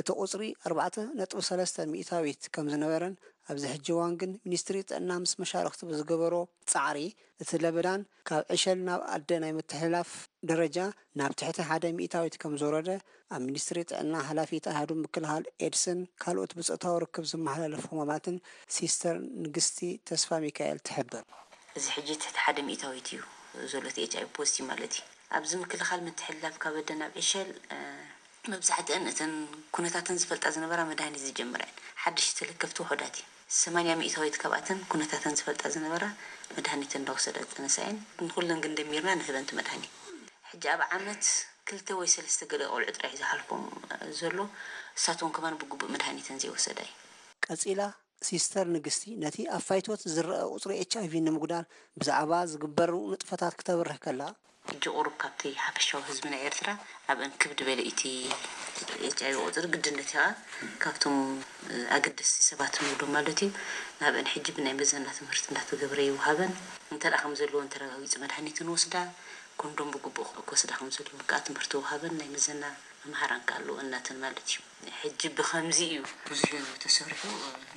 እቲ ቁጽሪ ኣርባዕተ ነጥቢ ሰለስተ ሚእታዊት ከም ዝነበረን፣ ኣብዚ ሕጂ እዋን ግን ሚኒስትሪ ጥዕና ምስ መሻርኽቲ ብዝገበሮ ጻዕሪ፣ እቲ ለበዳን ካብ ዕሸል ናብ ኣደ ናይ ምትሕልላፍ ደረጃ ናብ ትሕቲ ሓደ ሚእታዊት ከም ዝወረደ፣ ኣብ ሚኒስትሪ ጥዕና ሓላፊት ኣሃዱ ምክልኻል ኤድስን ካልኦት ብጾታዊ ርክብ ዝመሓላለፉ ሕማማትን ሲስተር ንግስቲ ተስፋ ሚካኤል ትሕብር። እዚ ሕጂ ትሕቲ ሓደ ሚእታዊት እዩ ዘሎ፣ እቲ ኤች ኣይ ቪ ፖዚቲቭ ማለት እዩ። ኣብዚ ምክልኻል ምትሕልላፍ ካብ ኣደ ናብ ዕሸል፣ እ፣ መብዛሕትአን እተን ኩነታተን ዝፈልጣ ዝነበራ መድሃኒት ዝጀመራ እየን። ሓደሽቲ ተለከፍቲ ውሑዳት እየን። ሰማንያ ሚእታዊት ካብኣተን ኩነታተን ዝፈልጣ ዝነበራ መድሃኒት እንዳወሰዳ ዝጸነሳ እየን። ንኹለን ግን ደሚርና ንህበን እቲ መድሃኒት። ሕጂ ኣብ ዓመት ክልተ ወይ ሰለስተ ገለ ቆልዑ ጥራይ እዩ ዝሓልፎም ዘሎ። እሳቶም ከማን ብግቡእ መድሃኒተን ዘይወሰዳ እዩ። ቀጺላ፣ ሲስተር ንግስቲ ነቲ ኣብ ፋይቶት ዝረኣ ቁጽሪ ኤች ኣይ ቪ ንምጉዳል ብዛዕባ ዝግበሩ ንጥፈታት ክተብርህ ከላ፣ ሕጂ ቁሩብ ካብቲ ሓፈሻዊ ህዝቢ ናይ ኤርትራ ኣብአን ክብ ዝበለ እቲ ኤች ኣይ ቪ ቁጽሪ ግድነት እዩ። ካብቶም ኣገደስቲ ሰባት ንብሎም ማለት እዩ። ናብአን ሕጂ ብናይ መዘና ትምህርቲ እንዳተገብረ ይወሃበን። እንተ ደኣ ከም ዘለወን ተረጋጊጹ መድሃኒት ንወስዳ፣ ኮንዶም ብግቡእ ክወስዳ ከም ዘለወን ከዓ ትምህርቲ ወሃበን ናይ ምዘና መምሃራን ከዓ ኣለዎ እናተን ማለት እዩ። ሕጂ ብኸምዚ እዩ ብዙሕ ተሰሪሑ፣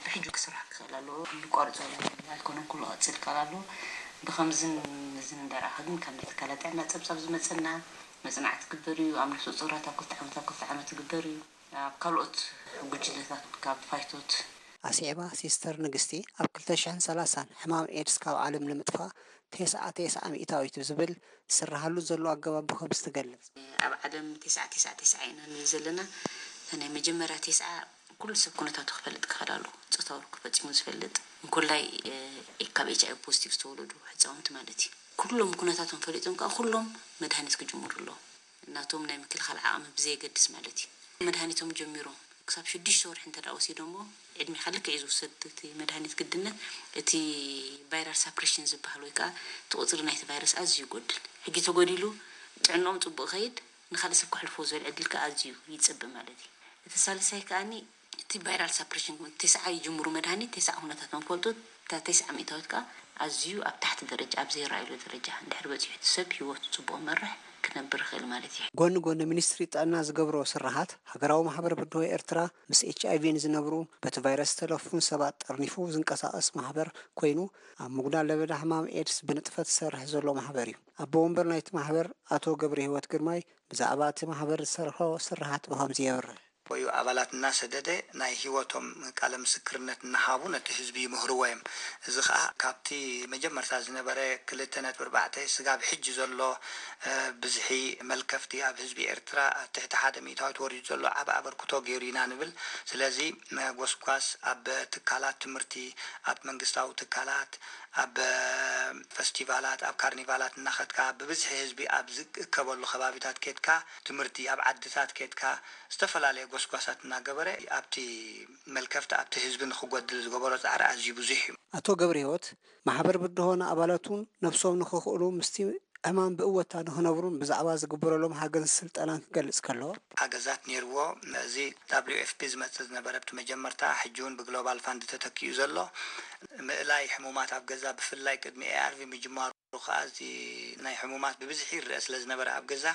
ብሕጂ ክስራሕ ክኽእል ኣለዎ። ንቋርጾ ኣይኮነን፣ ኩሉ ክቕጽል ይከኣል ኣለዎ። ብኸምዝን እዝን እንዳረኣኸ ግን ካብ ናይ ትካላት ጥዕና ጸብጻብ ዝመጸና መጽናዕቲ ትግበር እዩ። ኣብ ነፍሰ ጡራት ኣብ ክልተ ዓመት ኣብ ክልተ ዓመት ትግበር እዩ። ኣብ ካልኦት ጉጅለታት ካብ ፋይቶት ኣስዒባ ሲስተር ንግስቲ፣ ኣብ ክልተ ሽሕን ሰላሳን ሕማም ኤድስ ካብ ዓለም ንምጥፋእ ተስዓ ተስዓ ሚእታዊት ብዝብል ዝስርሓሉ ዘሎ ኣገባብ ብኸምዚ ትገልጽ። ኣብ ዓለም ተስዓ ተስዓ ተስዓ ኢና ንብል ዘለና። እታ ናይ መጀመርያ ተስዓ ኩሉ ሰብ ኩነታቱ ክፈልጥ ክኽእል ኣለዎ። ጾታዊ ርክብ ፈጺሙ ዝፈልጥ፣ እንኮላይ፣ እ፣ ካብ ኤች ኣይ ቪ ፖዚቲቭ ዝተወለዱ ህጻውንቲ ማለት እዩ። ኩሎም ኩነታቶም ፈሊጦም ከኣ ኩሎም መድሃኒት ክጅምሩ ኣለዎም። ናቶም ናይ ምክልኻል ዓቕሚ ብዘየገድስ ማለት እዩ። መድሃኒቶም ጀሚሮም ክሳብ ሽዱሽተ ወርሒ እንተ ደኣ ወሲዶሞ፣ ዕድሜኻ ልክዕ እዩ ዝውሰድ እቲ መድሃኒት ግድነት። እቲ ቫይራል ሳፕሬሽን ዝበሃል ወይ ከኣ እቲ ቁጽሪ ናይቲ ቫይረስ ኣዝዩ ይጎድል። ሕጂ ተጎዲሉ ጥዕንኦም ጽቡቕ ይኸይድ፣ ንኻልእ ሰብ ከሕልፎ ዝብል ዕድል ከኣ ኣዝዩ ይጸብብ ማለት እዩ። እቲ ሳልሳይ ከኣኒ እቲ ቫይራል ሳፕሬሽን፣ ተስዓ ይጅምሩ መድሃኒት፣ ተስዓ ኩነታቶም ፈልጡ፣ እታ ተስዓ ሚእታዊት ከኣ ኣዝዩ ኣብ ታሕቲ ደረጃ፣ ኣብ ዘይረኣየሉ ደረጃ እንድሕር በጺሑ፣ እቲ ሰብ ህይወቱ ጽቡቕ መርሕ ክነብር ይኽእል ማለት እዩ። ጎኒ ጎኒ ሚኒስትሪ ጥዕና ዝገብሮ ስርሓት፣ ሃገራዊ ማሕበር ብድሆ ኤርትራ ምስ ኤች ኣይ ቪ ንዝነብሩ በቲ ቫይረስ ዝተለፉን ሰባት ጠርኒፉ ዝንቀሳቐስ ማሕበር ኮይኑ፣ ኣብ ምጉዳል ለበዳ ሕማም ኤድስ ብንጥፈት ዝሰርሕ ዘሎ ማሕበር እዩ። ኣቦ ወንበር ናይቲ ማሕበር ኣቶ ገብረ ህይወት ግርማይ ብዛዕባ እቲ ማሕበር ዝሰርሖ ስርሓት ብኸምዚ የብርህ። ወዩ ኣባላት እናሰደደ ናይ ህይወቶም ቃለ ምስክርነት እናሃቡ ነቲ ህዝቢ ይምህርዎ እዮም። እዚ ኸኣ ካብቲ መጀመርታ ዝነበረ ክልተ ነጥቢ ኣርባዕተ ስጋብ ሕጂ ዘሎ፣ እ፣ ብዝሒ መልከፍቲ ኣብ ህዝቢ ኤርትራ ኣብ ትሕቲ ሓደ ሚእታዊት ወሪዱ ዘሎ ዓቢ ኣበርክቶ ገይሩ ኢና ንብል። ስለዚ፣ እ፣ ጎስጓስ ኣብ ትካላት ትምህርቲ፣ ኣብ መንግስታዊ ትካላት፣ ኣብ፣ እ፣ ፈስቲቫላት፣ ኣብ ካርኒቫላት እናኸድካ ብብዝሒ ህዝቢ ኣብ ዝእከበሉ ከባቢታት ኬድካ፣ ትምህርቲ ኣብ ዓድታት ኬድካ፣ ዝተፈላለየ ጎስጓሳት እናገበረ ኣብቲ መልከፍቲ ኣብቲ ህዝቢ ንኽጎድል ዝገበሮ ጻዕሪ ኣዝዩ ብዙሕ እዩ። ኣቶ ገብረ ህይወት፣ ማሕበር ብድሆ ንኣባላቱን ነብሶም ንኽኽእሉ ምስቲ ዕማም ብእወታ ንኽነብሩን ብዛዕባ ዝግበረሎም ሓገዝን ስልጠናን ክገልጽ ከሎ፣ ሓገዛት ነይርዎ። እዚ ደብሊው ኤፍ ፒ ዝመጽእ ዝነበረ ኣብቲ መጀመርታ፣ ሕጂ እውን ብግሎባል ፋንድ ተተኪኡ ዘሎ ምእላይ ሕሙማት ኣብ ገዛ፣ ብፍላይ ቅድሚ ኤ ኣር ቪ ምጅማሩ ከኣ፣ እዚ ናይ ሕሙማት ብብዝሒ ይረአ ስለ ዝነበረ ኣብ ገዛ፣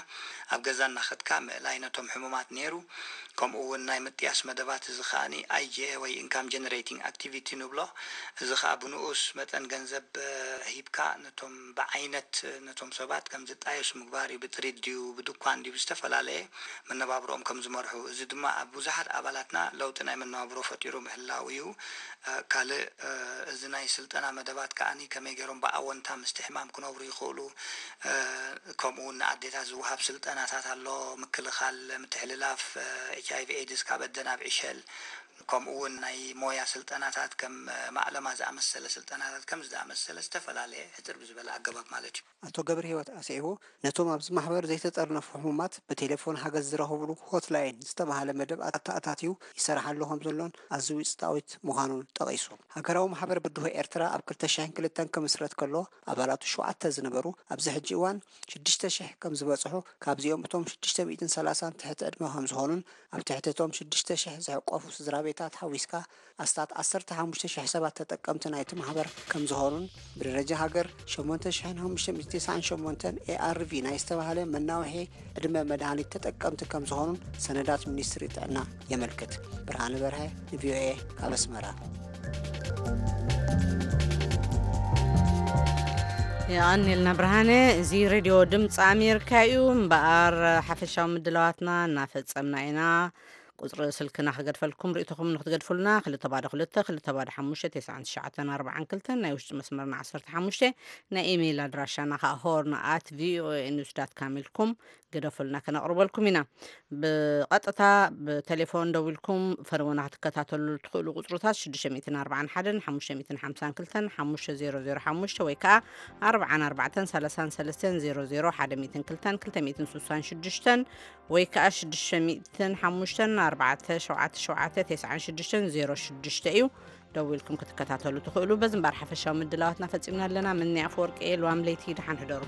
ኣብ ገዛ እናኸድካ ምእላይ ነቶም ሕሙማት ነይሩ። ከምኡ እውን ናይ ምጥያስ መደባት፣ እዚ ከኣኒ ኣይ ጂ ኤ ወይ ኢንካም ጀነሬቲንግ ኣክቲቪቲ ንብሎ። እዚ ከኣ ብንኡስ መጠን ገንዘብ፣ እ፣ ሂብካ ነቶም ብዓይነት፣ እ፣ ነቶም ሰባት ከም ዝጣየሱ ምግባር እዩ። ብጥሪት ድዩ፣ ብድኳን ድዩ፣ ብዝተፈላለየ መነባብሮኦም ከም ዝመርሑ። እዚ ድማ ኣብ ብዙሓት ኣባላትና ለውጢ ናይ መነባብሮ ፈጢሩ ምህላው እዩ። እ፣ ካልእ፣ እ፣ እዚ ናይ ስልጠና መደባት ከኣኒ ከመይ ገይሮም ብኣወንታ ምስቲ ሕማም ክነብሩ ይኽእሉ፣ እ፣ ከምኡ እውን ንኣዴታት ዝወሃብ ስልጠናታት ኣሎ፣ ምክልኻል፣ ምትሕልላፍ፣ እ፣ ኤች ኣይ ቪ ኤድስ ካብ ኣደ ናብ ዕሸል፣ ከምኡ እውን ናይ ሞያ ስልጠናታት ከም፣ እ፣ ማዕለማ ዝኣመሰለ ስልጠናታት ከም ዝኣመሰለ ዝተፈላለየ ሕጽር ብዝበለ ኣገባብ ማለት እዩ። ኣቶ ገብረ ህይወት ኣስዒቡ፣ ነቶም ኣብዚ ማሕበር ዘይተጠርነፉ ሕሙማት ብቴሌፎን ሓገዝ ዝረኽብሉ ሆትላይን ዝተባህለ መደብ ኣተኣታትዩ ይሰርሓሉ ከም ዘሎን ኣዝዩ ውጽኢታዊት ምዃኑን ጠቒሱ። ሃገራዊ ማሕበር ብድሆ ኤርትራ ኣብ ክልተ ሽሕን ክልተን ክምስረት ከሎ ኣባላቱ ሸውዓተ ዝነበሩ፣ ኣብዚ ሕጂ እዋን ሽዱሽተ ሽሕ ከም ዝበጽሑ፣ ካብዚኦም እቶም ሽዱሽተ ሚእትን ሰላሳን ትሕቲ ዕድመ ከም ዝኾኑን ኣብ ትሕቲ እቶም ሽዱሽተ ሽሕ ዝሕቆፉ ስድራ ቤታት ሓዊስካ ኣስታት ዓሰርተ ሓሙሽተ ሽሕ ሰባት ተጠቀምቲ ናይቲ ማሕበር ከም ዝኾኑን፣ ብደረጃ ሃገር ሸሞንተ ሽሕን ሓሙሽተ ሚእትን ተስዓን ሸሞንተን ኤ ኣር ቪ ናይ ዝተባህለ መናውሒ ዕድመ መድሃኒት ተጠቀምቲ ከም ዝኾኑን ሰነዳት ሚኒስትሪ ጥዕና የመልክት። ብርሃነ በርሀ፣ ቪ ኦ ኤ፣ ካብ ኣስመራ። የቐንየልና ብርሃነ። እዚ ሬድዮ ድምፂ ኣሜሪካ እዩ። እምበኣር ሓፈሻዊ ምድላዋትና እናፈጸምና ኢና። ቁጽሪ ስልክና ክገድፈልኩም፣ ርእይቶኹም ንክትገድፉልና፣ ክልተ ባዶ ክልተ፣ ክልተ ባዶ ሓሙሽተ፣ ተስዓን ትሽዓተን ኣርባዓን ክልተን፣ ናይ ውሽጢ መስመርና ዓሰርተ ሓሙሽተ፣ ናይ ኢሜይል ኣድራሻና ከኣ ሆርን ኣት ቪ ኦ ኤ ኒውስ ዳት ካም ኢልኩም ግደፉልና፣ ከነቕርበልኩም ኢና። ብቐጥታ ብቴሌፎን ደዊልኩም ፈነወና ክትከታተሉ ትኽእሉ ቁጽርታት ሽዱሽተ ሚእትን ኣርባዓን ሓደን ሓሙሽተ ሚእትን ሓምሳን ክልተን ሓሙሽተ ዜሮ ዜሮ ሓሙሽተ ወይ ከኣ ኣርባዓን ኣርባዕተን ሰላሳን ሰለስተን ዜሮ ዜሮ ሓደ ሚእትን ክልተን ክልተ ሚእትን ስሳን ሽዱሽተን ወይ ከኣ ሽዱሽተ ሚእትን ሓሙሽተን ኣርባዕተ ሸውዓተ ሸውዓተ ተስዓን ሽዱሽተን ዜሮ ሽዱሽተ እዩ። ደዊልኩም ክትከታተሉ ትኽእሉ። በዚ እምበኣር ሓፈሻዊ ምድላዋትና ፈጺምና ኣለና። ምኒ ኣፈወርቂ እየ። ልዋም ለይቲ ደሓን ሕደሩ።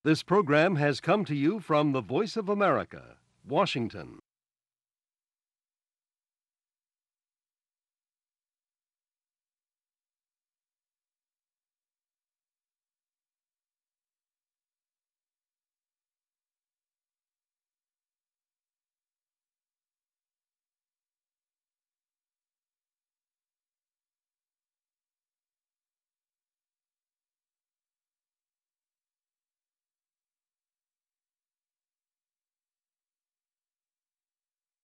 This program has come to you from the Voice of America, Washington.